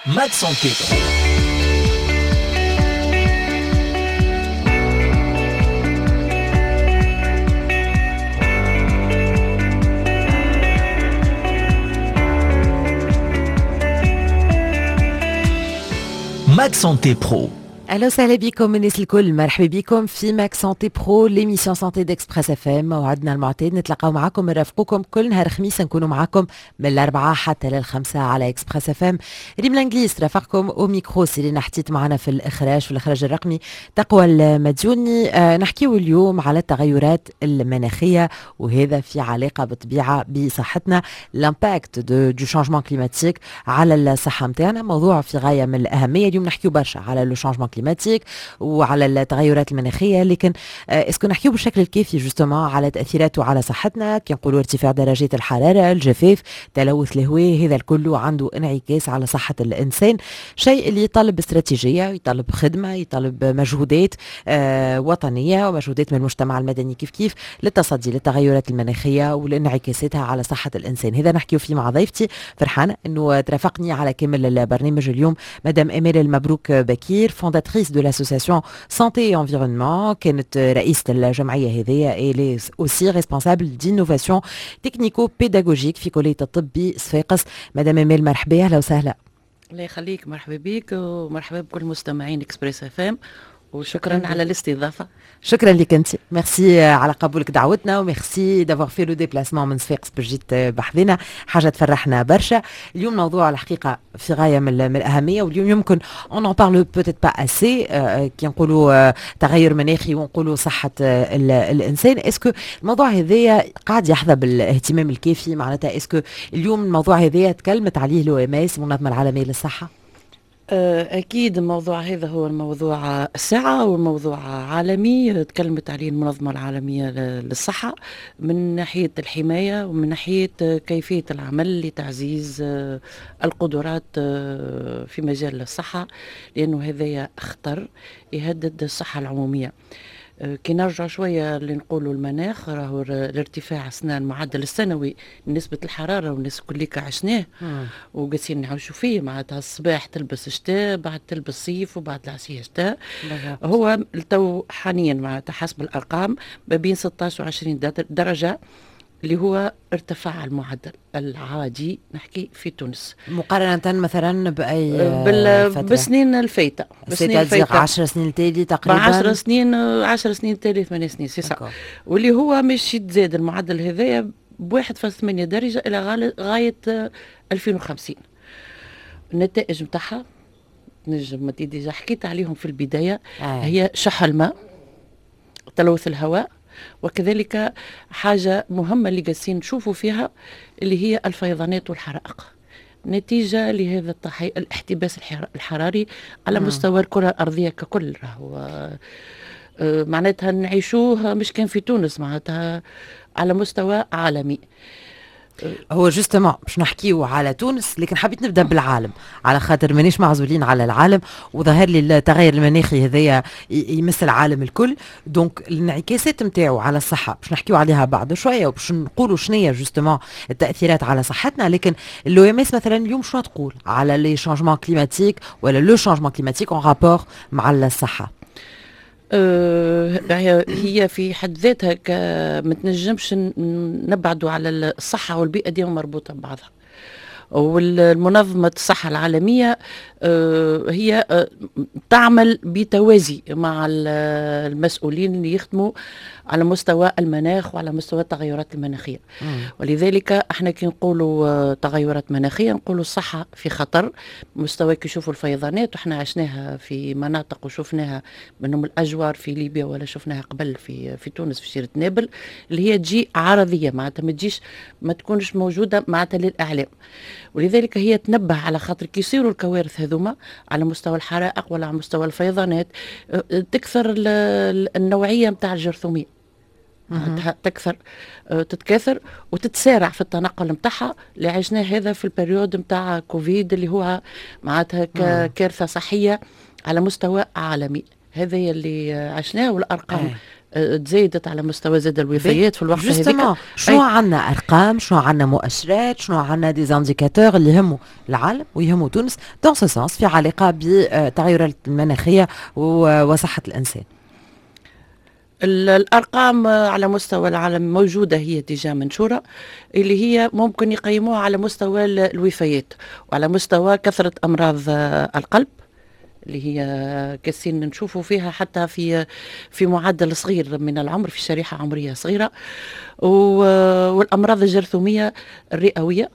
Mag Santé Pro. Mag Santé Pro. اهلا وسهلا بكم الناس الكل، مرحبا بكم في Mag Santé Pro، l'émission santé d'Express FM. موعدنا المعتاد نتلاقاو معاكم، نرافقوكم كل نهار خميس، نكونوا معاكم من الأربعة حتى للخمسة على Express FM. ريم الانجليز ترافقكم au micro، سيرين حتيت معنا في الاخراج، في الاخراج الرقمي تقوى المديوني. نحكيو اليوم على التغيرات المناخية، وهذا في علاقة بالطبيعة بصحتنا، l'impact du changement climatique على الصحة نتاعنا، موضوع في غاية من الاهميه. اليوم نحكيو برشا على le changement climatique وعلى التغيرات المناخيه، لكن est-ce que نحكيو بالشكل الكافي justement على تاثيراته على صحتنا؟ كي نقولوا ارتفاع درجات الحراره، الجفاف، تلوث الهواء، هذا الكل عنده انعكاس على صحة الانسان، شيء اللي يطلب استراتيجيه، يطلب خدمه، يطلب مجهودات وطنية ومجهودات من المجتمع المدني كيف كيف للتصدي للتغيرات المناخية ولانعكاساتها على صحة الانسان. هذا نحكيو فيه مع ضيفتي، فرحانة انه ترافقني على كامل البرنامج اليوم، مدام امال المبروك بكير، fondatrice de l'association Santé et Environnement، كانت رئيسة الجمعية هذيا، elle est aussi responsable d'innovation technico-pédagogique في كلية الطب بصفاقس. مدام امال مرحبا، اهلا وسهلا. الله يخليك، مرحبا بك ومرحبا بكل مستمعين Express FM، وشكرا على الاستضافه. شكرا لك انت، ميرسي على قبولك دعوتنا و merci d'avoir fait le déplacement من صفاقس باش جيت بحذنا، حاجة تفرحنا برشا. اليوم موضوع الحقيقة في غاية من الاهميه، واليوم يمكن on en parle peut-être pas assez. كي نقولوا تغير مناخي ونقولوا صحة الانسان، est-ce que الموضوع هذايا قاعد يحظى بالاهتمام الكافي؟ معناتها est-ce que اليوم الموضوع هذايا تكلمت عليه l'OMS، المنظمة العالمية للصحه؟ أكيد الموضوع هذا هو الموضوع الساعة والموضوع عالمي، تكلمت عليه المنظمة العالمية للصحة من ناحية الحماية ومن ناحية كيفية العمل لتعزيز القدرات في مجال الصحة، لأنه هذا خطر يهدد الصحة العمومية. كي نرجع شوية اللي نقولوا المناخ، راهو الارتفاع السنة المعدل السنوي نسبه الحراره، والناس كليك عشناه وقاعدين نعيشوا فيه، معناتها الصباح تلبس شتاء، بعد تلبس صيف، وبعد العشية شتاء. هو تو حاليا معناتها حسب الارقام ما بين 16 و 20 درجه اللي هو ارتفاع المعدل العادي، نحكي في تونس. مقارنة مثلا بأي فترة؟ بسنين الفايتة. بسنين الفايتة، 10 سنين التالي تقريبا. 10 سنين، 10 سنين التالي، 8 سنين، c'est ça. واللي هو مش يتزاد المعدل هذايا ب 1.8 درجة إلى غاية 2050. النتائج نتاعها نجم déjà حكيت عليهم في البداية. هي شح الماء، تلوث الهواء، وكذلك حاجة مهمة اللي قاعدين نشوفوا فيها اللي هي الفيضانات والحرائق نتيجة لهذا الاحتباس الحراري على مستوى الكرة الأرضية ككل. راهو معناتها نعيشوه مش كان في تونس، معناتها على مستوى عالمي. هو justement باش نحكيو على تونس، لكن حبيت نبدا بالعالم على خاطر مانيش معزولين على العالم، وظهر لي التغير المناخي هذايا يمس العالم الكل، donc الانعكاسات نتاعو على الصحة باش نحكيو عليها بعد شوية وباش نقولوا شنية justement التاثيرات على صحتنا. لكن l'OMS مثلا اليوم شنو تقول على les changements climatiques ولا le changement climatique en rapport مع الصحه؟ هي في حد ذاتها ما تنجمش نبعدوا على الصحة والبيئة، ديما مربوطة ببعضها. والمنظمة الصحة العالمية هي تعمل بتوازي مع المسؤولين اللي يخدموا على مستوى المناخ وعلى مستوى التغيرات المناخية. ولذلك احنا كي نقولوا تغيرات مناخية نقولوا الصحة في خطر، مستوى كي يشوفوا الفيضانات، وحنا عشناها في مناطق وشفناها منهم الأجوار في ليبيا ولا شفناها قبل في تونس في شيرة نابل، اللي هي تجي عرضية، معناتها ما تجيش ما تكونش موجودة معناتها للإعلام. ولذلك هي تنبه على خاطر كي يصيروا الكوارث هذوما على مستوى الحرائق ولا على مستوى الفيضانات تكثر النوعية نتاع الجرثوميه، تكثر تتكاثر وتتسارع في التنقل نتاعها، اللي عشناه هذا في ال période نتاع كوفيد اللي هو معناتها كارثة صحية على مستوى عالمي. هذا اللي عشناه والارقام. تزايدت على مستوى زاد الوفيات في الوقت هذاك. شنو عندنا ارقام، شنو عندنا مؤشرات، شنو عندنا des indicateurs اللي يهموا العالم ويهموا تونس dans ce sens في علاقة بالتغيرات المناخية وصحة الانسان؟ الارقام على مستوى العالم موجوده، هي déjà منشوره، اللي هي ممكن يقيموها على مستوى الوفيات وعلى مستوى كثرة امراض القلب اللي هي كاسين نشوفوا فيها حتى في معدل صغير من العمر، في شريحة عمرية صغيره، والامراض الجرثوميه الرئويه،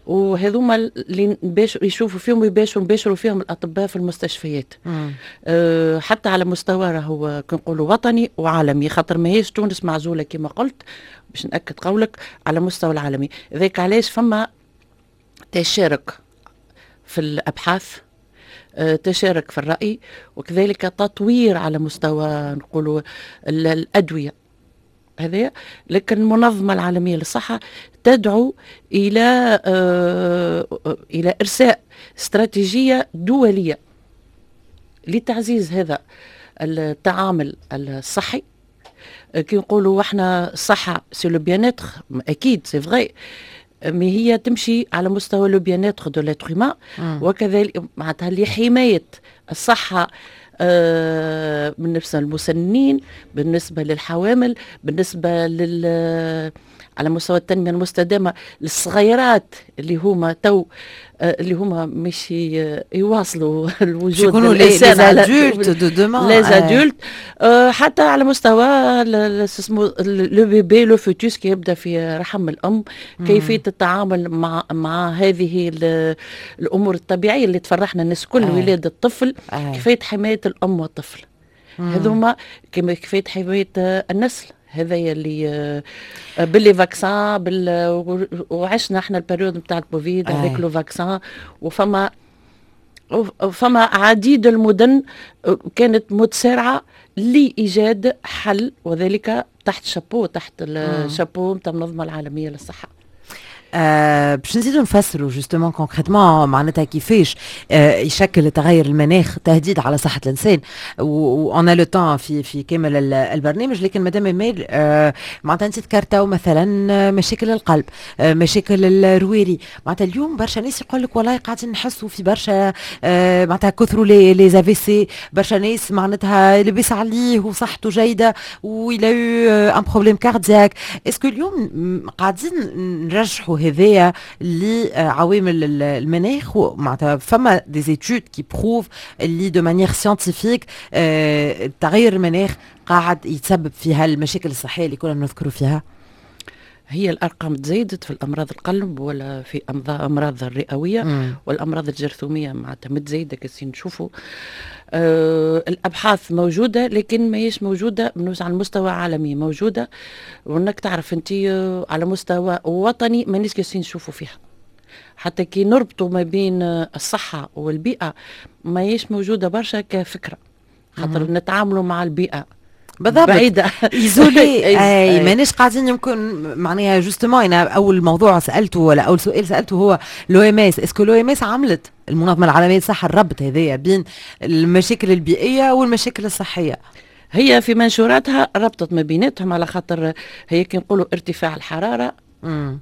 وهذوما اللي يشوفوا فيهم ويباشروا فيهم الاطباء في المستشفيات. حتى على مستوى راهو كنقولوا وطني وعالمي، خاطر ماهيش تونس معزولة كما قلت، باش ناكد قولك على مستوى العالمي. ذاك علاش فما تشارك في الابحاث، تشارك في الراي، وكذلك تطوير على مستوى نقولوا الادوية هذا. لكن المنظمة العالمية للصحة تدعو إلى إرساء استراتيجية دولية لتعزيز هذا التعامل الصحي. كي نقولوا احنا الصحة c'est le bien-être، اكيد c'est vrai، mais هي تمشي على مستوى le bien-être de l'être humain، وكذلك معناتها لحماية الصحة بالنسبة للمسنين، بالنسبة للحوامل، بالنسبة على مستوى التنمية المستدامة للصغيرات اللي هما تو اللي هما مش يواصلوا الوجود. يكونوا les adultes de demain. les adultes، حتى على مستوى اسمه le bébé، le fœtus، كي يبدا في رحم الام، كيفية التعامل مع هذه الامور الطبيعية اللي تفرحنا الناس كل، ولاده الطفل، كيفية حماية الام والطفل، هذوما كما كيفية حماية النسل، هذا اللي ب les vaccins وعشنا احنا ال période نتاع الكوفيد avec le vaccin، وفما عديد المدن كانت متسارعة لايجاد حل، وذلك تحت الشابو نتاع المنظمة العالمية للصحه. باش نزيدو نفسروا justement concrètement معناتها كيفاش يشكل تغير المناخ تهديد على صحة الانسان، و on a le temps في كامل البرنامج. لكن مدام امال، معناتها انت ذكرتوا مثلا مشاكل القلب، مشاكل الرواري، معناتها اليوم برشا ناس يقول لك والله قاعدين نحسوا في برشا معناتها كثروا les AVC، برشا ناس معناتها لبس عليه وصحته جيدة و il a eu un problème cardiaque. est-ce que اليوم قاعدين نرجحوا هذايا لعوامل المناخ؟ معناتها فما des études qui prouvent اللي de manière scientifique تغير المناخ قاعد يتسبب في هالمشاكل الصحية اللي كنا نذكروا فيها؟ هي الارقام تزايدت في الامراض القلب ولا في امراض الرئويه والامراض الجرثوميه، معناتها متزايده كاسين نشوفوا. الابحاث موجوده، لكن ماهيش موجودة على المستوى العالمي موجوده، وانك تعرف انت على مستوى وطني مانيش كاسين نشوفوا فيها. حتى كي نربطوا ما بين الصحة والبيئة ماهيش موجودة برشا كفكره، خاطر نتعاملوا مع البيئة بعيدة. isolée، اي مانيش قاعدين يمكن معناها justement انا اول موضوع سالته ولا اول سؤال سالته هو l'OMS، est-ce que l'OMS عملت، المنظمة العالمية للصحه، الربط هذايا بين المشاكل البيئية والمشاكل الصحيه؟ هي في منشوراتها ربطت ما بيناتهم، على خاطر هي كي نقولوا ارتفاع الحراره،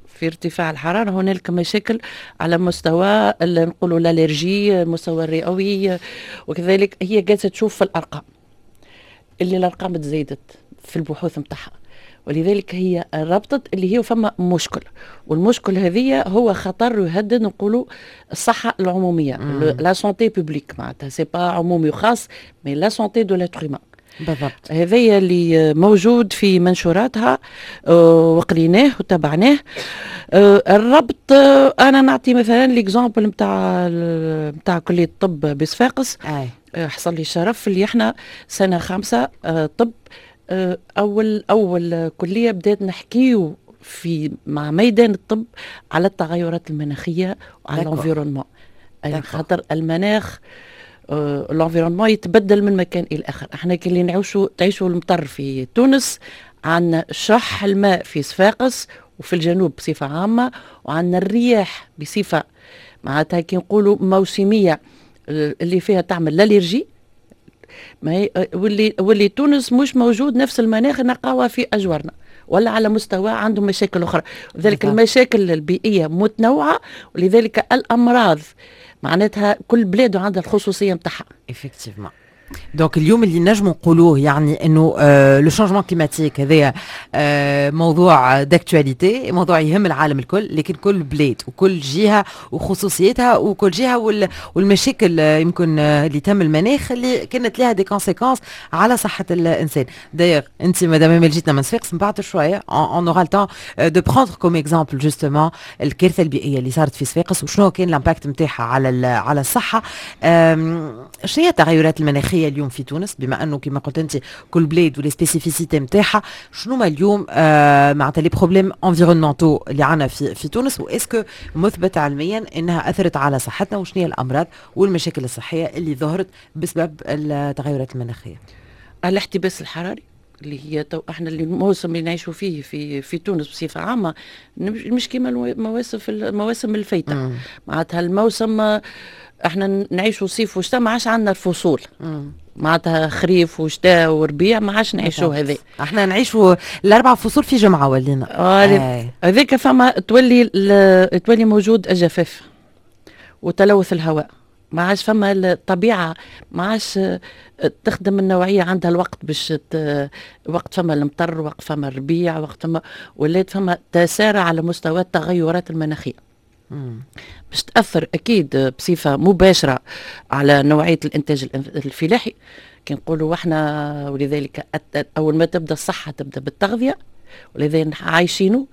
في ارتفاع الحرارة هنالك مشاكل على مستوى نقولوا l'allergie، المستوى الرئوي، وكذلك هي جالسة تشوف في الأرقام اللي الارقام تزايدت في البحوث نتاعها، ولذلك هي ربطت اللي هي فما مشكل، والمشكل هذه هو خطر يهدد نقولوا الصحة العموميه، la santé publique، معناتها c'est pas عمومي وخاص mais la santé de l'être humain. هذايا اللي موجود في منشوراتها، وقريناه وتابعناه الربط. انا نعطي مثلا l'exemple نتاع كليه الطب بصفاقس. حصل لي الشرف اللي احنا سنة 5 طب اول كليه بدات نحكيو في مع ميدان الطب على التغيرات المناخية وعلى l'environnement، خاطر المناخ l'environnement يتبدل من مكان الى اخر. احنا كي اللي نعيشوا تعيشوا المطر في تونس، عندنا شح الماء في صفاقس وفي الجنوب بصفة عامه، وعندنا الرياح بصفة معناتها كي نقولوا موسميه اللي فيها تعمل l'allergie. ما هي واللي تونس مش موجود نفس المناخ نلقاوها في اجوارنا ولا على مستوى عندهم مشاكل اخرى. لذلك المشاكل البيئية متنوعه، ولذلك الامراض معناتها كل بلاد عندها الخصوصية نتاعها. effectivement، donc اليوم اللي نجم نقولوه يعني انه le changement climatique هذايا موضوع d'actualité، موضوع يهم العالم الكل، لكن كل بلاد وكل جهة وخصوصيتها، وكل جهة والمشاكل يمكن اللي تم المناخ اللي كانت لها des conséquences على صحة الانسان. d'ailleurs انت مدام امال جيتنا من صفاقس، من بعد شوية on aura le temps de prendre comme exemple justement الكارثة البيئية اللي صارت في صفاقس وشنو كان l'impact نتاعها على الصحه. شنو هي التغيرات المناخية اليوم في تونس؟ بما انه كما قلت انت كل بلاد و les spécificités نتاعها، شنو ما اليوم معناتها les problèmes environnementaux اللي عندنا في تونس، و est-ce que مثبت علميا انها اثرت على صحتنا، وشنو هي الامراض والمشاكل الصحية اللي ظهرت بسبب التغيرات المناخية؟ الاحتباس الحراري اللي هي تو احنا اللي الموسم اللي نعيشوا فيه في تونس بصفة عامة مش كيما المواسم الفايته. معناتها الموسم احنا نعيشوا صيف وشتاء، ما عادش عندنا الفصول، معناتها خريف وشتاء وربيع ما عادش نعيشوا هذا. احنا نعيشوا الاربع فصول في جمعه ولينا. هذاك فما تولي موجود الجفاف وتلوث الهواء، ما عادش فما الطبيعة ما عادش تخدم النوعيه، عندها الوقت باش وقت فما المطر، وقت فما الربيع، وقت فما ولات فما تسارع على مستوى التغيرات المناخية باش تاثر اكيد بصفة مباشرة على نوعية الانتاج الفلاحي كي نقولوا احنا. ولذلك اول ما تبدا الصحة تبدا بالتغذيه، ولذلك عايشينه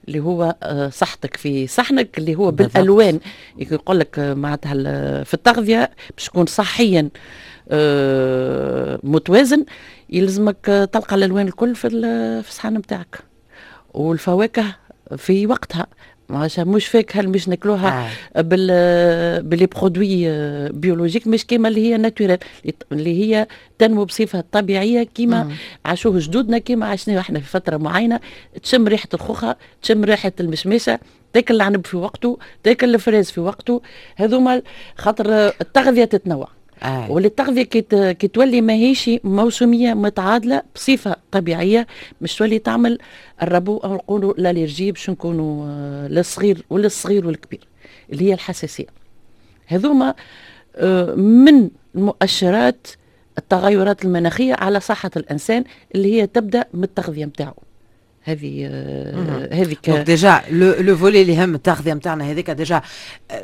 اللي هو صحتك في صحنك، اللي هو بالالوان يقول لك معناتها في التغذية باش تكون صحيا متوازن يلزمك تلقى الالوان الكل في الصحن نتاعك، والفواكه في وقتها، مش فاكهة اللي مش ناكلوها ب les produits biologiques، مش كيما اللي هي naturelles، اللي هي تنمو بصفة طبيعية كيما عاشوه جدودنا، كيما عشناه احنا في فترة معينه. تشم ريحه الخوخه، تشم ريحه المشمشه، تاكل العنب في وقته، تاكل ال fraise في وقته. هذوما خاطر التغذية تتنوع. واللي التغذية كي تولي ماهيش موسميه متعادله بصفة طبيعية مش تولي تعمل الربو او نقولوا l'allergie، باش نكونوا للصغير وللصغير والكبير اللي هي الحساسيه. هذوما من المؤشرات التغيرات المناخية على صحة الانسان اللي هي تبدا من التغذية نتاعو. هذه هذيك donc déjà le volet اللي هم التغذية نتاعنا هذيك déjà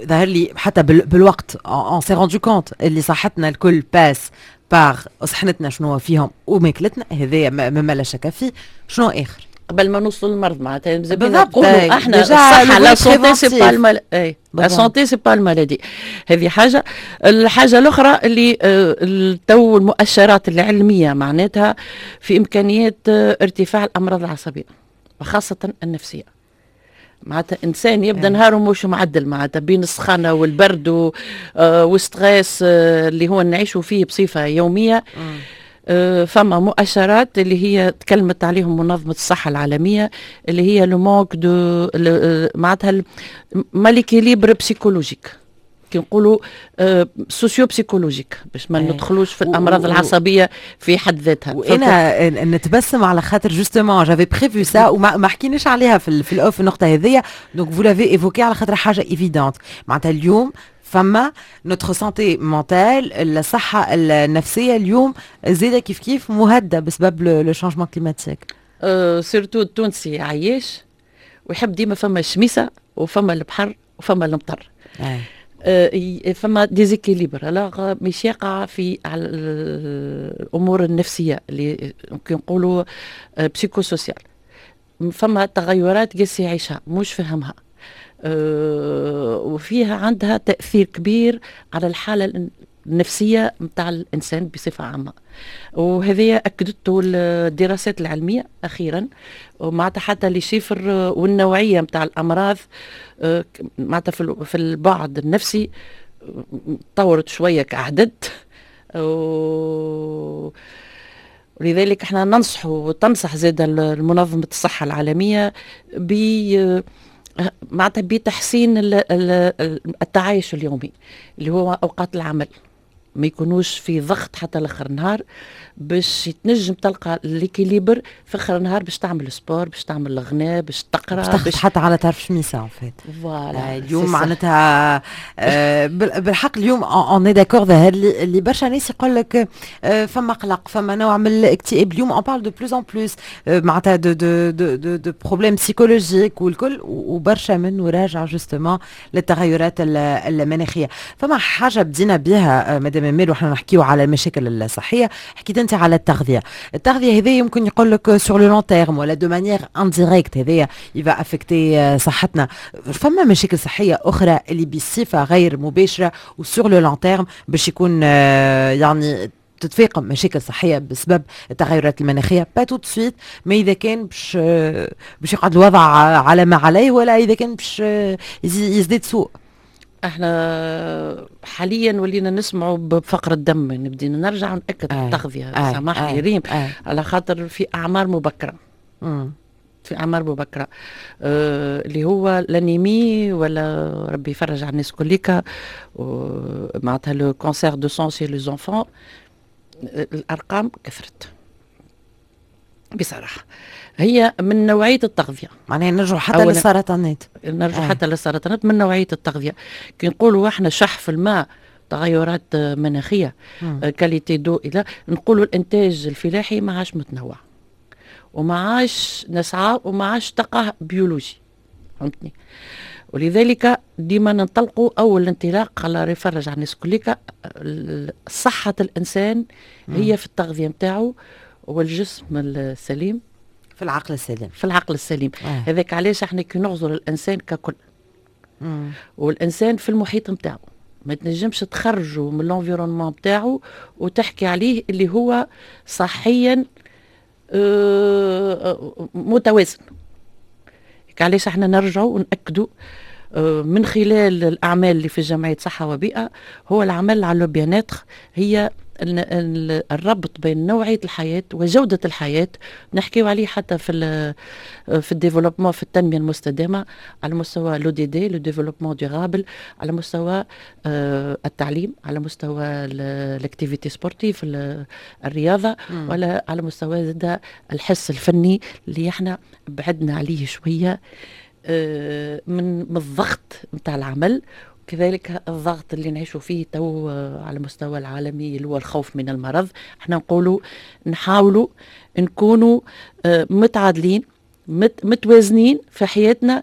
ظهر لي حتى بالوقت on s'est rendu compte اللي صحتنا الكل passe par صحنتنا شنو فيهم وماكلتنا، هذايا مما لا شك فيه. شنو اخر؟ قبل ما نوصل للمرض معناتها نقولوا احنا الصحه، la santé c'est pas la santé c'est pas la maladie. هذه حاجه. الحاجة الاخرى اللي تو المؤشرات العلمية معناتها في امكانيات ارتفاع الامراض العصبية وخاصة النفسيه. معناتها انسان يبدا نهاره مش معدل، معناتها بين السخانه والبرد و stress اللي هو نعيشوا فيه بصفة يوميه. فما مؤشرات اللي هي تكلمت عليهم منظمة الصحة العالمية اللي هي le manque de معناتها mal équilibre psychologique، كي نقولوا socio-psychologique باش ما ندخلوش في الامراض العصبية في حد ذاتها. وانا نتبسم على خاطر justement j'avais prévu ça وما حكيناش عليها في ال off النقطة هذيا، donc vous l'avez évoquée على خاطر حاجة évidente. معناتها اليوم فما notre santé mentale، الصحة النفسية اليوم زاده كيف كيف مهددة بسبب le changement climatique. surtout التونسي عايش ويحب ديما فما الشميسه وفما البحر وفما المطر. فما déséquilibre alors مش يقع في على الامور النفسية اللي ممكن نقولوا psychosocial. فما تغيرات قاس يعيشها مش فهمها وفيها عندها تاثير كبير على الحالة النفسية نتاع الانسان بصفة عامه، وهذه اكدته الدراسات العلمية اخيرا، ومعناتها حتى les chiffres والنوعيه نتاع الامراض معناتها في البعد النفسي تطورت شوية كعدد ولذلك احنا ننصح وتنصح زاد المنظمة الصحة العالمية ب معناتها بتحسين التعايش اليومي اللي هو اوقات العمل. ما يكونوش في ضغط حتى لاخر النهار، باش تنجم تلقى l'équilibre في اخر النهار باش تعمل sport، باش تعمل الغناء، باش تقرا، باش حتى على طرف شميسه en fait. voilà. اليوم معناتها بالحق اليوم on est d'accord، ظهر لي اللي برشا ناس يقول لك فما قلق، فما نوع من الاكتئاب. اليوم on parle de plus en plus معناتها de problèmes psychologiques والكل، وبرشا منه راجع justement للتغيرات المناخيه. فما حاجة بدينا بها مدام امال وحنا نحكيو على المشاكل الصحيه، حكيت انت على التغذيه. التغذية هذه يمكن يقول لك sur le long terme ولا de manière indirecte هذايا il va affecter صحتنا. فما مشاكل صحية اخرى اللي بصفة غير مباشرة و sur le long terme باش يكون يعني تتفاقم مشاكل صحية بسبب التغيرات المناخيه، pas tout de suite mais اذا كان باش يقعد الوضع على ما عليه ولا اذا كان باش يزداد سوء؟ احنا حاليا ولينا نسمعوا بفقر الدم. نبدي نرجع ونأكد التغذية، سامحني ريم، على خاطر في اعمار مبكره، في اعمار مبكرة اللي هو l'anémie، ولا ربي يفرج على الناس كليكا، معناتها le cancer du sang chez les enfants. الارقام كثرت بصراحه، هي من نوعية التغذيه. معناها نرجع حتى للسرطانات. نرجع حتى للسرطانات من نوعية التغذيه. كي نقولوا احنا شح في الماء، تغيرات مناخيه، qualité d'eau، الى نقولوا الانتاج الفلاحي ما عادش متنوع وما عادش نسعى وما عادش تلقاه biologique، فهمتني؟ ولذلك ديما ننطلقوا اول انطلاق، الله يفرج على الناس كليكا، صحة الانسان هي في التغذية نتاعو، والجسم السليم في العقل السليم. في العقل السليم. هذاك علاش احنا كي نغزر الانسان ككل والانسان في المحيط نتاعو، ما تنجمش تخرجه من l'environnement نتاعو وتحكي عليه اللي هو صحيا متوازن. علاش احنا نرجعوا ونأكدوا من خلال الاعمال اللي في جمعية صحة وبيئه، هو العمل على le bien-être، هي الربط بين نوعية الحياة وجوده الحياه، نحكيو عليه حتى في ال développement، في التنمية المستدامة على مستوى l'ODD، le développement durable، على مستوى التعليم، على مستوى l'activité sportive، الرياضه، ولا على مستوى زاد الحس الفني اللي احنا بعدنا عليه شوية من الضغط نتاع العمل، كذلك الضغط اللي نعيشوا فيه تو على المستوى العالمي اللي هو الخوف من المرض. احنا نقولوا نحاولوا نكونوا متعادلين، متوازنين في حياتنا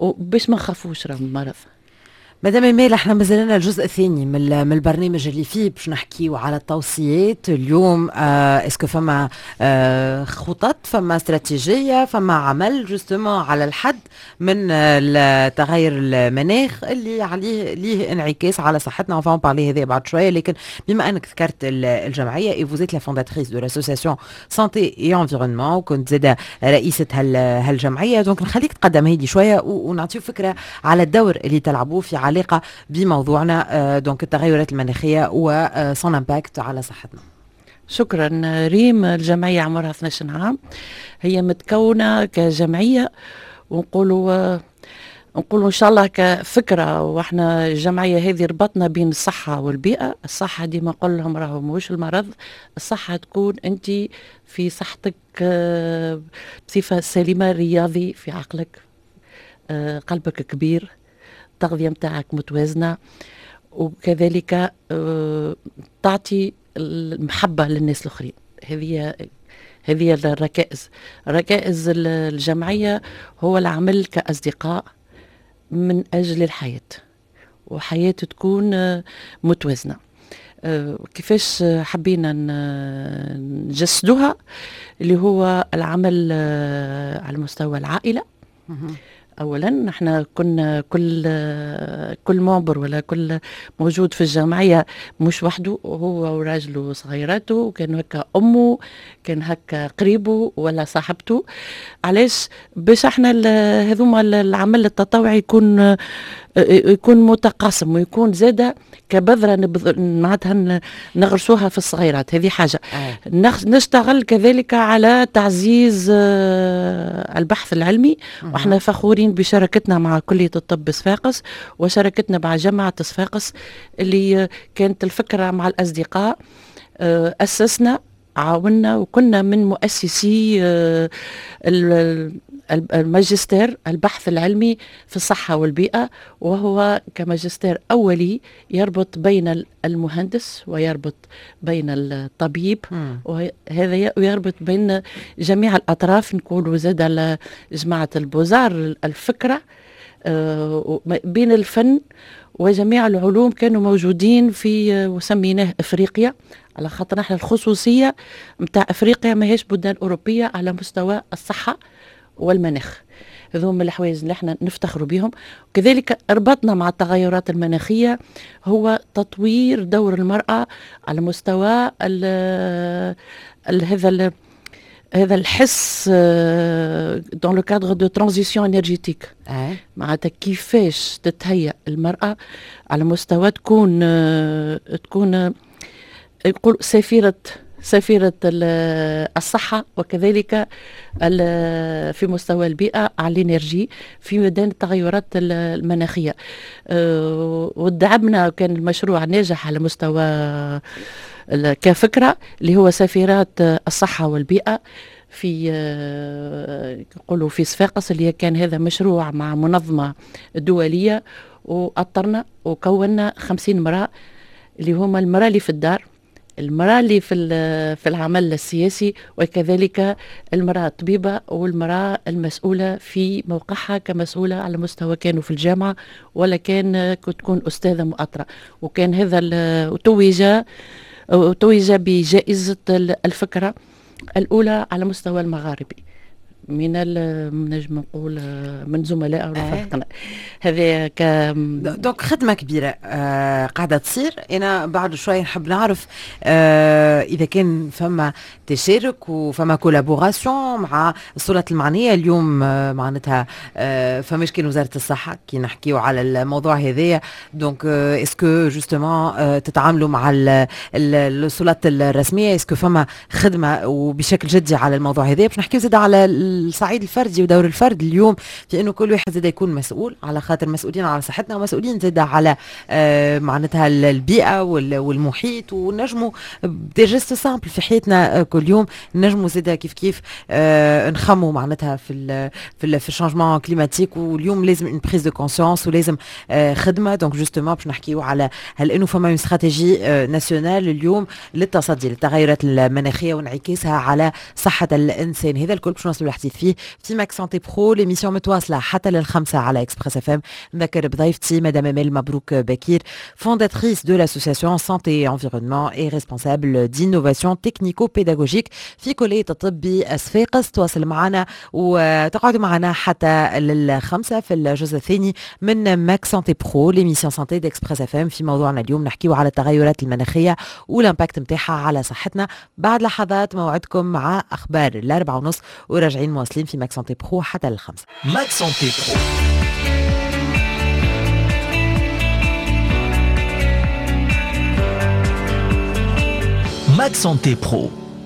باش ما نخافوش من المرض. مدام ايمال، احنا مازلنا الجزء الثاني من البرنامج اللي فيه باش نحكيو على التوصيات. اليوم est-ce que فما خطط، فما استراتيجيه، فما عمل justement على الحد من تغير المناخ اللي عليه ليه انعكاس على صحتنا؟ on va en parler هذا بعد شويه، لكن بما انك ذكرت الجمعية et vous êtes la fondatrice de l'association santé et environnement وكنت زاده رئيسه هالجمعيه، donc نخليك تقدمها لي شوية ونعطيو فكرة على الدور اللي تلعبوه في علاقة بموضوعنا، donc التغيرات المناخية و son impact على صحتنا. شكرا ريم. الجمعية عمرها 12 عام، هي متكونة كجمعية، ونقولوا ان شاء الله كفكره، واحنا الجمعية هذه ربطنا بين الصحة والبيئه. الصحة ديما نقول لهم راهو مش المرض، الصحة تكون انت في صحتك بصفة سليمه، رياضي في عقلك، قلبك كبير، التغذية متاعك متوازنه، وكذلك تعطي المحبة للناس الاخرين. هذه الركائز، ركائز الجمعية هو العمل كاصدقاء من اجل الحياه، وحياه تكون متوازنه. كيفاش حبينا نجسدوها؟ اللي هو العمل على مستوى العائله. اولا نحن كنا كل membre ولا كل موجود في الجمعية مش وحده، هو وراجله وصغيراته، وكان هكا امه، كان هكا قريبه ولا صاحبته. علاش؟ باش احنا هذوما العمل التطوعي يكون متقاسم ويكون زاده كبذره معناتها نغرسوها في الصغيرات. هذه حاجه. نشتغل كذلك على تعزيز البحث العلمي، واحنا فخورين فخورين بشراكتنا مع كلية الطب صفاقس وشراكتنا مع جامعة صفاقس، اللي كانت الفكرة مع الأصدقاء. أسسنا، عاونا، وكنا من مؤسسي الماجستير البحث العلمي في الصحة والبيئة، وهو كماجستير أولي يربط بين المهندس ويربط بين الطبيب، وهذا ويربط بين جميع الأطراف. نقولوا زاد على جماعة ال beaux-arts الفكرة بين الفن وجميع العلوم كانوا موجودين في، وسميناه افريقيا على خاطر نحن الخصوصية نتاع افريقيا ماهيش بلدان اوروبية على مستوى الصحة والمناخ. هذوما الحوايج اللي احنا نفتخروا بهم. وكذلك ربطنا مع التغيرات المناخية هو تطوير دور المراة على مستوى ال ال هذا هذا الحس dans le cadre de transition énergétique، معناتها كيفاش تتهيأ المرأة على مستوى تكون يقول سفيرة الصحة، وكذلك في مستوى البيئة على l'énergie في ميدان التغيرات المناخية. ودعمنا، كان المشروع ناجح على مستوى كفكرة اللي هو سفيرات الصحة والبيئة في نقولوا في صفاقس، اللي كان هذا مشروع مع منظمة دولية، وأطرنا وكونا 50 امرأة اللي هما المرأة اللي في الدار، المرأة اللي في العمل السياسي، وكذلك المرأة الطبيبة والمرأة المسؤولة في موقعها كمسؤولة على مستوى كانوا في الجامعة ولا كان تكون أستاذة مؤطرة. وكان هذا توج بجائزة الفكرة الأولى على مستوى المغاربي من نجم نقول من زملاء رفاقنا. هذا donc خدمة كبيرة قاعدة تصير. انا بعد شوي نحب نعرف اذا كان فما تشارك وفما collaboration مع السلطات المعنية اليوم، معناتها فماش كان وزارة الصحة كي نحكيو على الموضوع هذايا، donc est-ce que justement تتعاملوا مع السلطات الرسميه، est-ce que فما خدمة وبشكل جدي على الموضوع هذايا؟ باش نحكيو زاد على الصعيد الفردي ودور الفرد اليوم في انه كل واحد زاد يكون مسؤول، على خاطر مسؤولين على صحتنا ومسؤولين زاد على معناتها البيئة والمحيط، ونجموا des gestes simples في حياتنا كل يوم نجموا زاد كيف كيف نخموا معناتها في ال changement climatique. واليوم لازم une prise de conscience ولازم خدمه. donc justement باش نحكيو على هل انه فما une stratégie nationale اليوم للتصدي للتغيرات المناخية وانعكاسها على صحة الانسان. هذا الكل باش نوصلوا الحديث فيه في Mag Santé Pro، l'émission متواصلة حتى لل5 على Express FM. نذكر بضيفتي مدام امال مبروك بكير، fondatrice de l'association Santé et Environnement et responsable d'innovation technico-pédagogique في كلية الطب صفاقس. تواصل معنا وتقعدوا معنا حتى لل5 في الجزء الثاني من Mag Santé Pro، l'émission santé d'Express FM. في موضوعنا اليوم نحكيو على التغيرات المناخية وال impact نتاعها على صحتنا. بعد لحظات موعدكم مع أخبار 4:30 وراجعين مواصلين في Mag Santé Pro حتى لل5. Mag Santé Pro، Mag Santé Pro،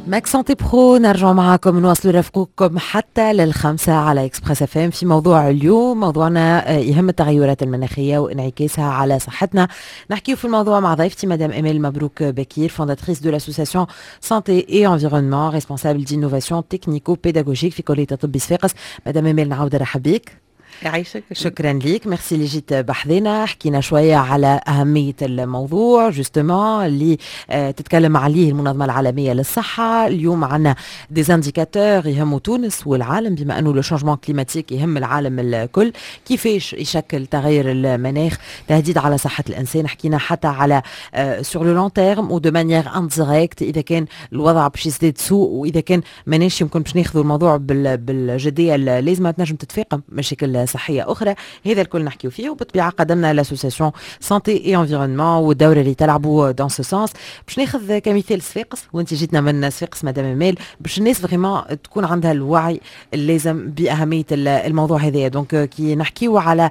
Mag Santé Pro، نرجع معكم نواصلوا رفقكم حتى لل5 على Express FM في موضوع اليوم. موضوعنا يهم التغيرات المناخية وانعكاسها على صحتنا. نحكي في الموضوع مع ضيفتي مدام امال مبروك بكير، fondatrice de l'association Santé et Environnement، responsable d'innovation technico-pédagogique في كليه الطب صفاقس. مدام امال، نعاود نرحب بك. يعيشك. شكرا ليك، ميرسي اللي جيت بحذنا. حكينا شوية على أهمية الموضوع justement اللي تتكلم عليه المنظمة العالمية للصحة. اليوم عندنا des indicateurs يهموا تونس والعالم، بما أنه le changement climatique يهم العالم الكل. كيفاش يشكل تغير المناخ تهديد على صحة الإنسان؟ حكينا حتى على sur le long terme و de manière indirecte إذا كان الوضع باش يزداد سوء، وإذا كان ماناش يمكن باش ناخذوا الموضوع بالجدية اللازمة، تنجم تتفاقم مشاكل صحية اخرى. هذا الكل نحكيو فيه، وبالطبيعه قدمنا l'association Santé et Environnement والدور اللي تلعبوا dans ce sens. باش ناخذ كمثال صفاقس، وانت جيتنا من صفاقس مدام امال، باش الناس vraiment تكون عندها الوعي اللازم باهمية الموضوع هذايا. donc كي نحكيو على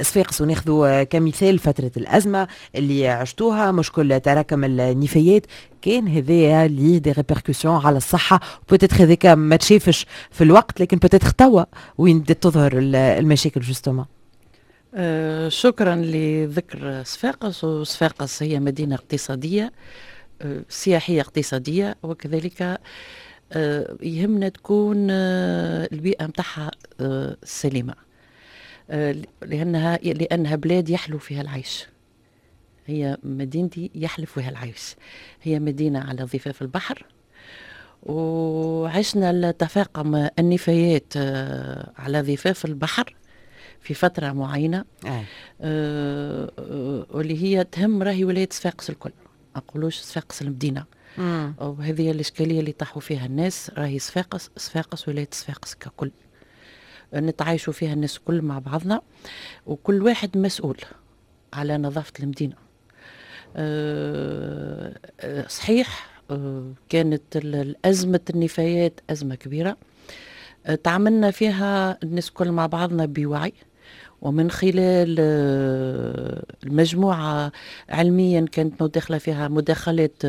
صفاقس وناخذوا كمثال فترة الازمة اللي عشتوها، مشكل تراكم النفايات، كان هذايا ليه des répercussions على الصحه. peut-être هذاك ما تشافش في الوقت، لكن peut-être توا وين بدات تظهر المشاكل. المشاكل justement؟ شكرا لذكر صفاقس. وصفاقس هي مدينة اقتصادية سياحية اقتصادية، وكذلك يهمنا تكون البيئة متاعها سليمة، لأنها بلاد يحلو فيها العيش. هي مدينتي يحلو فيها العيش، هي مدينة على ضفاف البحر، وعشنا التفاقم النفايات على ضفاف البحر في فترة معينة، واللي هي تهم راهي ولاية صفاقس الكل، ما نقولوش صفاقس المدينة. وهذه الإشكالية اللي طاحوا فيها الناس، راهي صفاقس، صفاقس ولاية صفاقس ككل نتعايشوا فيها الناس الكل مع بعضنا، وكل واحد مسؤول على نظافة المدينة. صحيح كانت الأزمة النفايات أزمة كبيرة، تعاملنا فيها الناس كل مع بعضنا بوعي، ومن خلال المجموعة علميا كانت مداخلة فيها مداخلات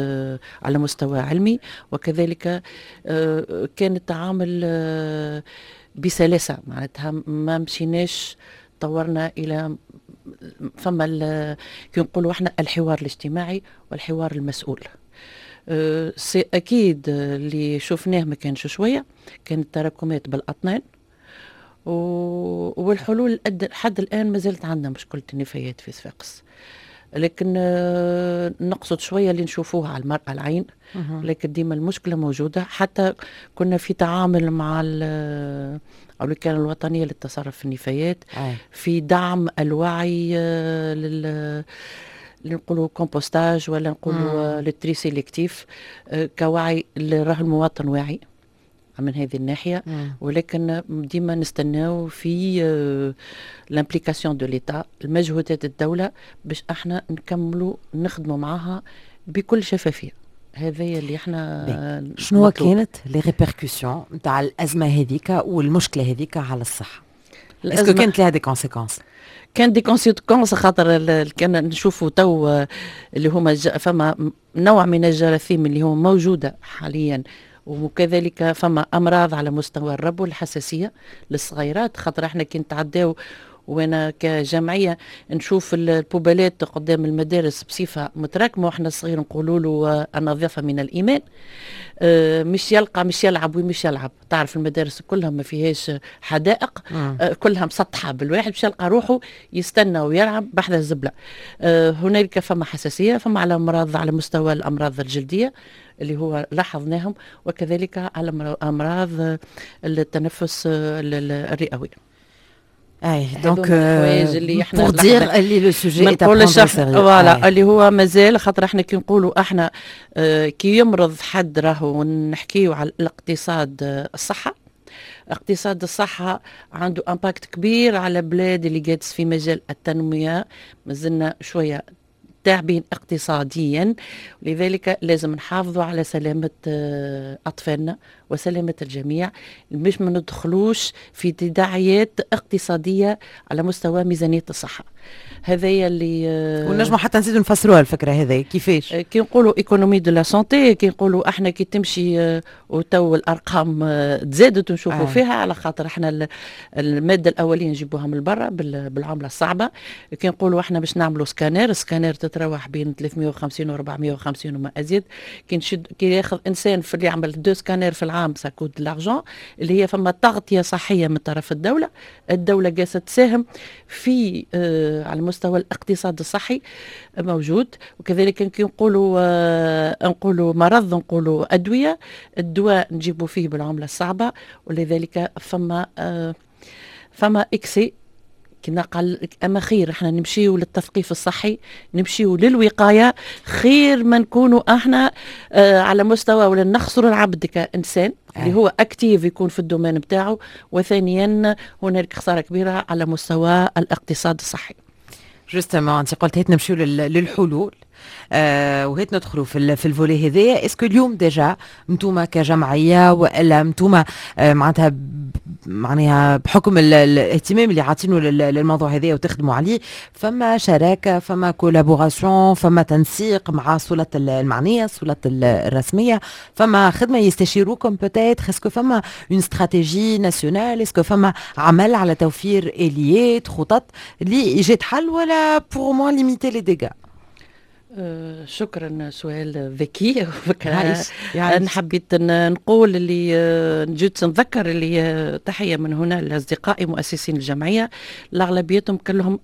على مستوى علمي، وكذلك كان التعامل بسلاسة، معناتها ما مشيناش طورنا إلى فما كي نقولوا احنا الحوار الاجتماعي والحوار المسؤول. c'est اكيد اللي شفناه ما كانش شويه، كانت تراكمات بالاطنان، والحلول لحد الان ما زالت عندنا مشكلة النفايات في صفاقس، لكن نقصد شوية اللي نشوفوها على المرأة العين، لكن ديما المشكلة موجوده. حتى كنا في تعامل مع الوكالة الوطنية للتصرف في النفايات في دعم الوعي لل نقولوا compostage ولا نقولوا le tri sélectif، كوعي اللي راه المواطن واعي من هذه الناحية، ولكن ديما نستناو في l'implication de l'État، المجهودات الدولة باش احنا نكملوا نخدموا معاها بكل شفافية. هذا اللي احنا شنو كانت les répercussions نتاع الازمة هذيك والمشكلة هذيك على الصحة؟ est-ce que كانت لها des conséquences؟ كان des conséquences، خاطر كان نشوفوا تو اللي هما فما نوع من الجراثيم اللي هو موجودة حاليا، وكذلك فما امراض على مستوى الربو الحساسية للصغيرات، خاطر احنا كي نتعداو وانا كجمعية نشوف ال poubelle ات قدام المدارس بصفة متراكمه، واحنا الصغير نقولوا له النظافة من الايمان، مش يلقى مش يلعب ومش يلعب. تعرف المدارس كلها ما فيهاش حدائق، كلها مسطحة بالواحد، مش يلقى روحه يستنى ويلعب بحذا الزبله. هنالك فما حساسيه، فما على امراض على مستوى الامراض الجلدية اللي هو لاحظناهم، وكذلك على امراض التنفس الرئوي. اي donc اللي احنا pour dire اللي le sujet est à voilà اللي هو مازال، خاطر احنا كي نقولوا احنا كي يمرض حد راهو نحكيو على الاقتصاد الصحه. اقتصاد الصحة عنده impact كبير على بلاد اللي جالس في مجال التنمية، مازلنا شوية تعبين اقتصاديا، لذلك لازم نحافظوا على سلامة أطفالنا وسلامة الجميع باش ما ندخلوش في تداعيات اقتصادية على مستوى ميزانية الصحة. هذا اللي ونجموا حتى نزيدوا نفسروها الفكرة هذه كيفاش؟ كي نقولوا économie de la santé، كي نقولوا احنا كي تمشي وتو الارقام تزادت ونشوفوا فيها، على خاطر احنا المادة الاولية نجيبوها من برا بالعملة الصعبه. كي نقولوا احنا باش نعملوا scanner، scanner تتراوح بين 350 و 450 وما ازيد. كي نشد كي ياخذ انسان في اللي يعمل deux scanners في العام ça coûte l'argent، اللي هي فما تغطيه صحية من طرف الدوله. الدولة جالسة تساهم في على مستوى الاقتصاد الصحي موجود. وكذلك كي نقولوا مرض نقولوا ادويه، الدواء نجيبوا فيه بالعملة الصعبه، ولذلك فما excès كنا قال. اما خير احنا نمشيو للتثقيف الصحي، نمشيو للوقايه، خير ما نكونوا احنا على مستوى ولا نخسروا العبد كانسان اللي هو actif يكون في ال domaine بتاعه، وثانيا هنالك خسارة كبيرة على مستوى الاقتصاد الصحي. justement انت قلت هات نمشيو للحلول. وهيت ندخلوا في ال volet هذايا. est-ce que اليوم déjà انتوما كجمعية والا انتوما معناتها معناها بحكم الاهتمام اللي عاطينه للموضوع هذايا وتخدموا عليه، فما شراكه، فما collaboration، فما تنسيق مع السلطات المعنيه، السلطات الرسميه؟ فما خدمه، يستشيروكم peut-être؟ est-ce que فما une stratégie nationale؟ est-ce que فما عمل على توفير اليات، خطط لايجاد حل ولا pour au moins limiter les dégâts؟ شكرا، سؤال ذكي. انا حبيت نقول اللي جيت نذكر اللي تحية من هنا لاصدقائي مؤسسين الجمعيه، الاغلبيتهم كلهم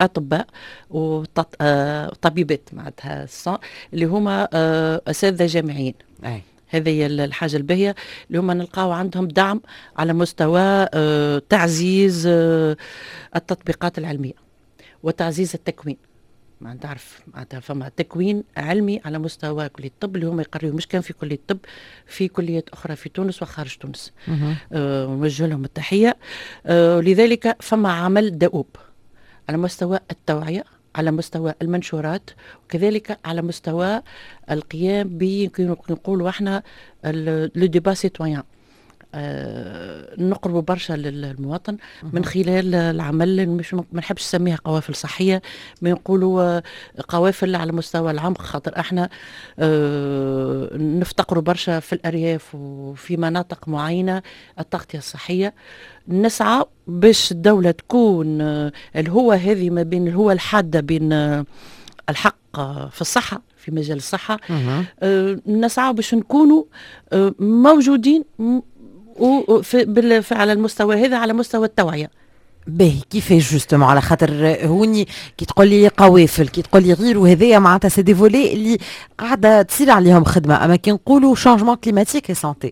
اطباء وطبيبات، معناتها اللي هما اساتذة جامعيين. هذه هي الحاجة الباهية اللي هما نلقاو عندهم دعم على مستوى تعزيز التطبيقات العلمية وتعزيز التكوين. ما تعرف معناتها فما تكوين علمي على مستوى كلية الطب اللي هما يقريوا، مش كان في كلية الطب، في كليات أخرى في تونس وخارج تونس. نوجه لهم التحية. لذلك فما عمل دؤوب على مستوى التوعية، على مستوى المنشورات، وكذلك على مستوى القيام ب نقولوا احنا le débat citoyen. نقربوا برشا للمواطن من خلال العمل، مش ما نحبش نسميها قوافل صحيه، ما نقولوا قوافل على مستوى العمق، خاطر احنا نفتقروا برشا في الارياف وفي مناطق معينة التغطية الصحيه. نسعى باش الدولة تكون الهوه هذه ما بين الهوه الحادة بين الحق في الصحه، في مجال الصحه. نسعى باش نكونوا موجودين وفي على المستوى هذا، على مستوى التوعيه. باهي، كيفاش justement؟ على خاطر هوني كي تقول لي قوافل، كي تقول لي غير وهذايا، معناتها c'est des volets اللي قاعدة تصير عليهم خدمه، اما كي نقولوا changement climatique et santé؟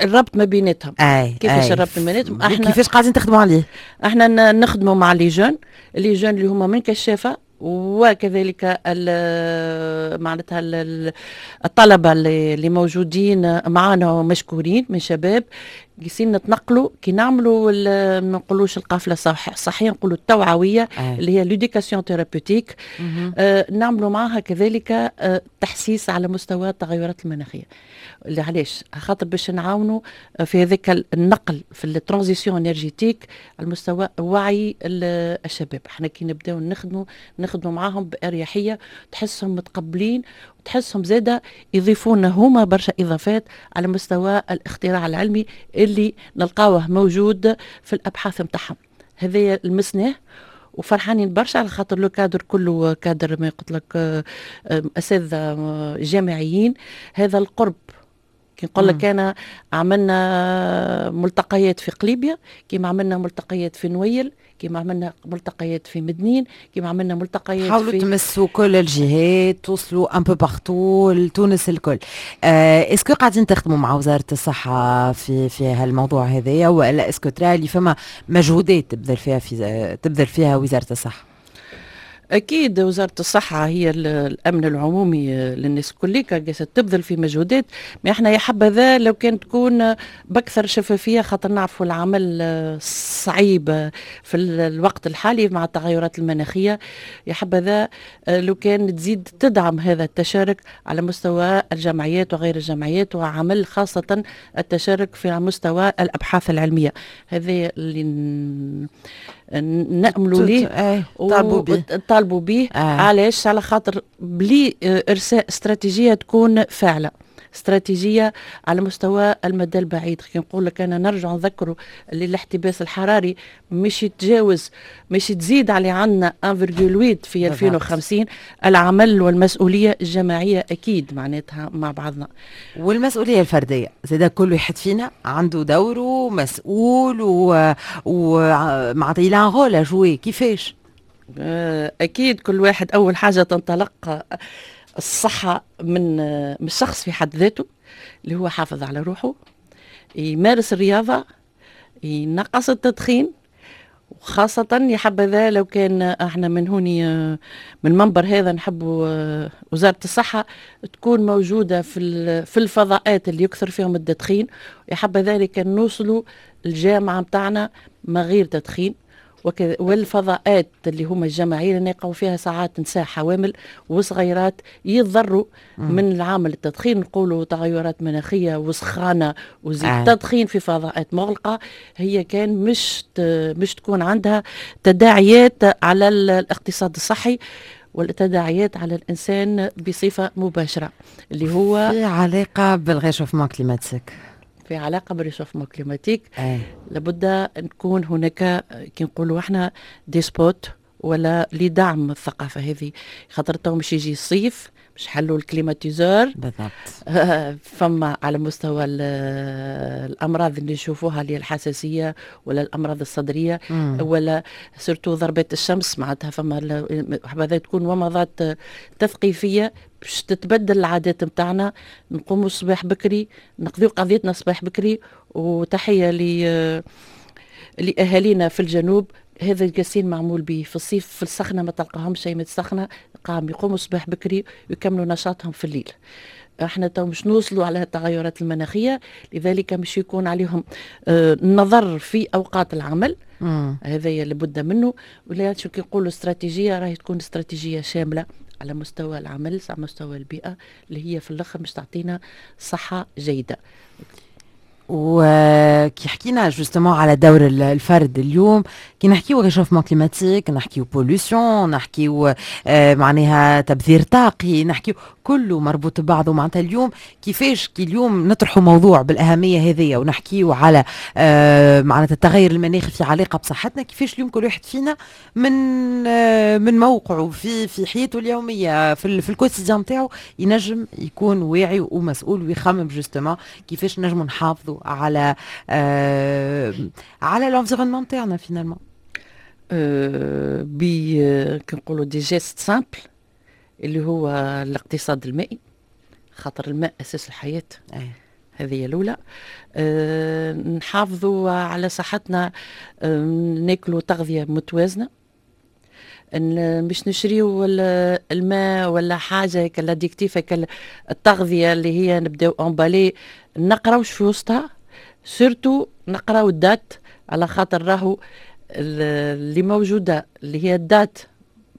الربط ما بيناتهم. كيفاش الربط ما بيناتهم؟ احنا كيفاش قاعدين تخدموا عليه؟ احنا نخدموا مع les jeunes، les jeunes اللي هما من كشافه وكذلك معناتها الطلبة اللي موجودين معنا مشكورين من شباب، قاعدين نتنقلوا كي نعملوا ما نقولوش القافلة الصحيه، نقولوا التوعويه، اللي هي l'éducation thérapeutique. نعملوا معها كذلك تحسيس على مستوى التغيرات المناخيه. اللي علاش؟ خاطر باش نعاونوا في هذاك النقل في ال transition énergétique على مستوى وعي الشباب. احنا كي نبداو نخدموا معاهم باريحيه، تحسهم متقبلين وتحسهم زاده يضيفون هما برشا اضافات على مستوى الاختراع العلمي اللي نلقاوه موجود في الابحاث نتاعهم. هذا لمسناه وفرحانين برشا على خاطر le cadre كله كادر ما قلت لك اساتذة جامعيين. هذا القرب كي نقول لك انا عملنا ملتقيات في قليبيا، كيما عملنا ملتقيات في نويل، كيما عملنا ملتقيات في مدنين، كيما عملنا ملتقيات حاولوا في تمسوا كل الجهات، توصلوا un peu partout لتونس الكل. Est-ce que قاعدين تخدموا مع وزارة الصحة في هالموضوع هذايا، ولا est-ce que ترى اللي فما مجهودات تبذل فيها وزارة الصحه؟ اكيد، وزارة الصحة هي الامن العمومي للناس الكل، قاعدة تبذل في مجهودات، ما احنا يا حبذا لو كان تكون باكثر شفافيه، خاطر نعرفوا العمل صعيب في الوقت الحالي مع التغيرات المناخيه. يا حبذا لو كان تزيد تدعم هذا التشارك على مستوى الجمعيات وغير الجمعيات، وعمل خاصة التشارك في مستوى الابحاث العلميه. هذا اللي نأملوا ليه. طالبوا به. طالبوا به. علاش؟ على خاطر بلي ارساء استراتيجية تكون فاعله، استراتيجية على مستوى المدى البعيد. كي نقول لك انا نرجع نذكروا اللي الاحتباس الحراري مش يتجاوز، مش تزيد على عندنا 1.8 في 2050. العمل والمسؤولية الجماعية اكيد معناتها مع بعضنا. والمسؤولية الفردية زاد، كل واحد فينا عنده دوره، مسؤول و معناتها il a un rôle à jouer. كيفاش؟ اكيد، كل واحد اول حاجة تنطلق الصحة من الشخص في حد ذاته، اللي هو حافظ على روحه، يمارس الرياضه، ينقص التدخين، وخاصة يا حبذا لو كان احنا من هوني من المنبر هذا نحبوا وزارة الصحة تكون موجودة في الفضاءات اللي يكثر فيهم التدخين. يا حبذا كان نوصلوا الجامعة متاعنا ما غير تدخين. والفضاءات اللي هما الجماعية اللي نلقاو فيها ساعات نساء حوامل وصغيرات يضروا من العامل التدخين. نقولوا تغيرات مناخيه وسخانه وزيد تدخين في فضاءات مغلقة، هي كان مش تكون عندها تداعيات على الاقتصاد الصحي والتداعيات على الانسان بصفة مباشرة، اللي هو في علاقة بال réchauffement climatique. في علاقة بال réchauffement climatique. لابد ان نكون هناك كي نقولوا احنا des spots ولا لدعم الثقافة هذه، خاطر تو مش يجي الصيف مش حلوا ال climatiseur. فما على مستوى الامراض اللي نشوفوها اللي هي الحساسية ولا الامراض الصدرية ولا surtout ضربات الشمس، معناتها فما حبذا تكون ومضات تثقيفيه باش تتبدل العادات نتاعنا، نقوموا الصباح بكري، نقضيو قضيتنا الصباح بكري. وتحية لاهالينا في الجنوب، هذا القاسين معمول به في الصيف في السخنة ما تلقاهمش شيء من السخنه، قام يقوموا الصباح بكري ويكملوا نشاطهم في الليل. احنا تو مش نوصلوا على التغيرات المناخيه، لذلك مش يكون عليهم النظر في اوقات العمل. هذا لابد منه. ولا شو كي نقولوا استراتيجيه، راهي تكون استراتيجية شاملة على مستوى العمل، على مستوى البيئه، اللي هي في الاخر مش تعطينا صحة جيده. وكي حكينا justement على دور الفرد اليوم، كي نحكيو réchauffement climatique، نحكيو pollution، نحكيو معناها تبذير طاقي، نحكيو كله مربوط ببعضه. معناتها اليوم كيفاش كي اليوم نطرحوا موضوع بالاهميه هذه ونحكيو على معناتها التغير المناخي في علاقة بصحتنا، كيفاش اليوم كل واحد فينا من موقعه في حياته اليوميه، في ال quotidien نتاعو، ينجم يكون واعي ومسؤول ويخمم justement كيفاش نجموا نحافظوا على l'environnement تاعنا finalement؟ ب كنقولوا des gestes simples اللي هو الاقتصاد المائي، خاطر الماء اساس الحياه. هذه هي الاولى. نحافظوا على صحتنا، ناكلوا تغذية متوازنه، مش نشريو الماء ولا حاجة l'additif، التغذية اللي هي نبداو emballée، نقراوش في وسطها، surtout نقراو ال date، على خاطر راهو اللي موجودة اللي هي ال date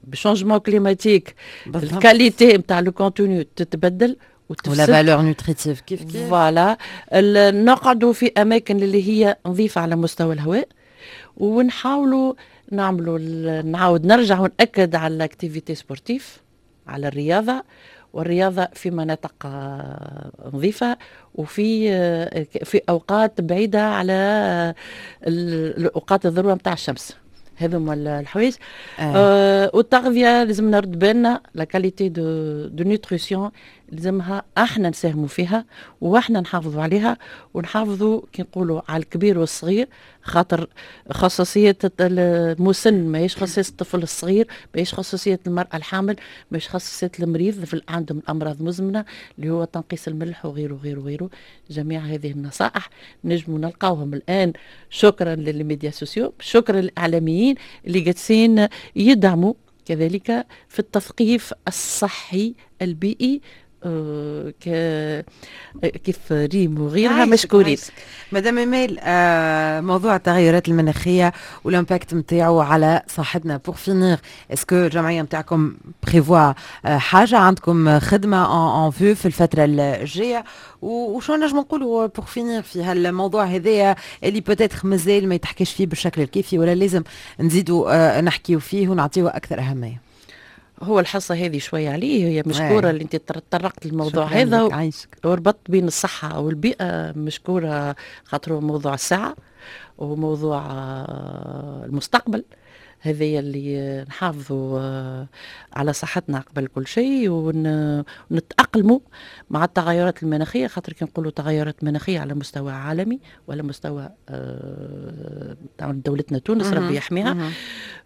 ب changement climatique ال qualité نتاع le contenu تتبدل. و la valeur nutritive كيف كيف. voilà، نقعدوا في اماكن اللي هي نظيفة على مستوى الهواء، ونحاولوا نعملوا، نعاود نرجع ونأكد على l'activité sportive، على الرياضة، والرياضة في مناطق نظيفة وفي في أوقات بعيدة على الأوقات الذروة نتاع الشمس. هذوما الحوايج. والتغذيه لازم نرد بالنا، la qualité de nutrition لازمها احنا نساهموا فيها واحنا نحافظوا عليها، ونحافظوا كي نقولوا على الكبير والصغير، خاطر خصوصية المسن ماهيش خصوصية الطفل الصغير، ماهيش خصوصية المرأة الحامل، ماهيش خصوصية المريض في عندهم الأمراض مزمنة، اللي هو تنقيص الملح وغيره وغيره وغيره. جميع هذه النصائح نجموا نلقاوهم الآن، شكرا لل médias sociaux، شكرا للإعلاميين اللي جالسين يدعموا كذلك في التثقيف الصحي البيئي، كيف ريم وغيرها، مشكورين. مدام ايميل، موضوع التغيرات المناخية وال impact نتاعو على صحتنا، pour finir، est-ce que الجمعية نتاعكم prévoit حاجه، عندكم خدمة en vue في الفترة الجايه؟ وشو نجم نقولوا pour finir في هالموضوع هذايا اللي peut-être مازال ما يتحكيش فيه بالشكل الكافي ولا لازم نزيدوا نحكيو فيه ونعطيوه اكثر اهميه؟ هو الحصة هذه شوية عليه، هي مشكورة اللي انت تطرقت للموضوع هذا وربطت بين الصحة والبيئة، مشكورة خاطر هو موضوع الساعة وموضوع المستقبل. هذه اللي نحافظوا على صحتنا قبل كل شيء ونتأقلموا مع التغيرات المناخية، خاطر كي نقولوا تغيرات مناخية على مستوى عالمي ولا مستوى دولتنا تونس، ربي يحميها.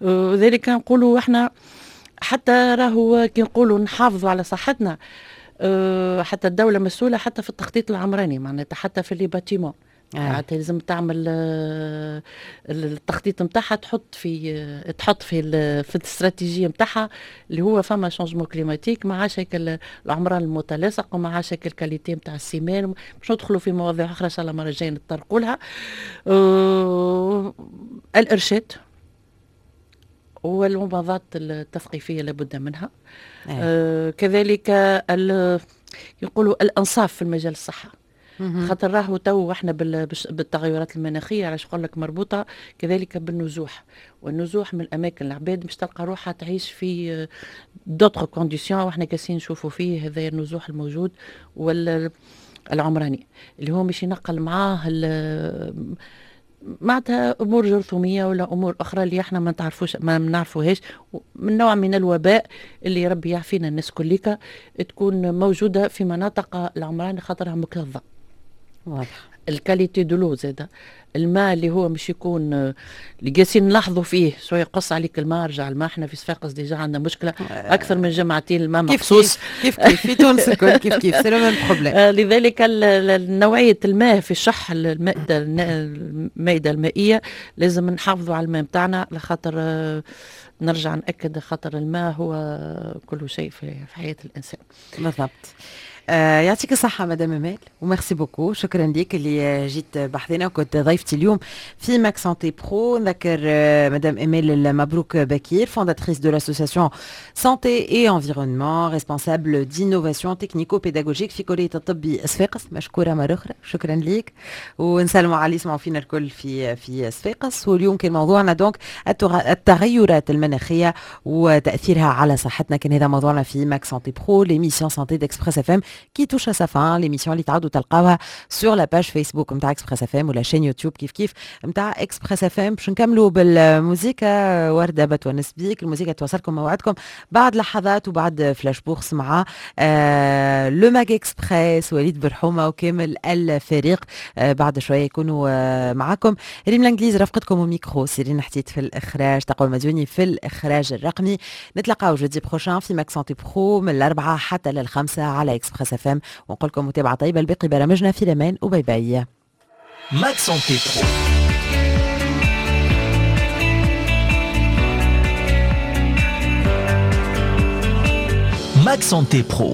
وذلك نقولوا احنا حتى راهو كي نقولوا نحافظوا على صحتنا، حتى الدولة مسؤولة حتى في التخطيط العمراني، معناتها حتى في les bâtiments معناتها لازم تعمل التخطيط نتاعها، تحط في الاستراتيجية نتاعها اللي هو فما changement climatique، ما عادش هيك العمران المتلاصق وما عادش هيك ال qualité نتاع ال ciment. باش ندخلوا في مواضيع اخرى ان شاء الله المرة الجاية نتطرقوا لها. الارشاد. والمباضات التثقيفيه لابد منها. كذلك يقولوا الانصاف في المجال الصحة، خاطر راهو تو احنا بالتغيرات المناخية، علاش نقول لك مربوطة كذلك بالنزوح، والنزوح من الاماكن العباد مش تلقى روحها تعيش في d'autres conditions، واحنا كاسين نشوفوا فيه هذا النزوح الموجود والعمراني اللي هو مش ينقل معاه معناتها امور جرثوميه ولا امور اخرى اللي احنا ما تعرفوش ما نعرفوهاش، من نوع من الوباء اللي ربي يعافينا الناس كليكا تكون موجودة في مناطق العمران خاطرها مكتظه. واضح. ال qualité de l'eau زاده، الماء اللي هو مش يكون اللي قاسين نلاحظوا فيه شوية يقص عليك الماء، رجع الماء. احنا في صفاقس déjà عندنا مشكلة اكثر من جمعتين الماء مقصوص. كيف كيف في تونس الكل كيف كيف، c'est le même problème. لذلك نوعية الماء في الشح المائدة المائية لازم نحافظوا على الماء نتاعنا، لخاطر نرجع ناكد خاطر الماء هو كل شيء في حياة الانسان. بالضبط. يعطيك الصحة مدام أمال و merci beaucoup، شكرا لك اللي جيت بحذنا وكنت ضيفتي اليوم في Mag Santé Pro. نذكر مدام أمال المبروك بكير، fondatrice de l'association Santé et Environnement، responsable d'innovation technico-pédagogique في كلية الطب صفاقس. مشكورة مرة أخرى، شكرا لك، ونسلموا على اللي يسمعوا فينا الكل في صفاقس. واليوم كان موضوعنا donc التغيرات المناخية وتأثيرها على صحتنا، كان هذا موضوعنا في Mag Santé Pro، l'émission santé d'Express FM qui touche à sa fin، l'émission اللي تعودوا تلقاوها sur la page Facebook نتاع Express FM ولا chaîne YouTube كيف كيف نتاع Express FM. باش نكملوا بالموزيكا ورده بتونس بيك، الموزيكا توصلكم موعدكم بعد لحظات وبعد flash bourse مع le Mag Express وليد برحومه وكامل الفريق. بعد شوية يكونوا معاكم ريم الانجليز رفقتكم وميكرو، سيرين حتيت في الاخراج، تقوى المديوني في الاخراج الرقمي. نتلاقاو jeudi prochain في Mag Santé Pro من 4 حتى لل5 على Express FM، ونقول لكم متابعه طيبة لباقي برامجنا في الامان و bye bye. Mag Santé Pro. Mag Santé Pro.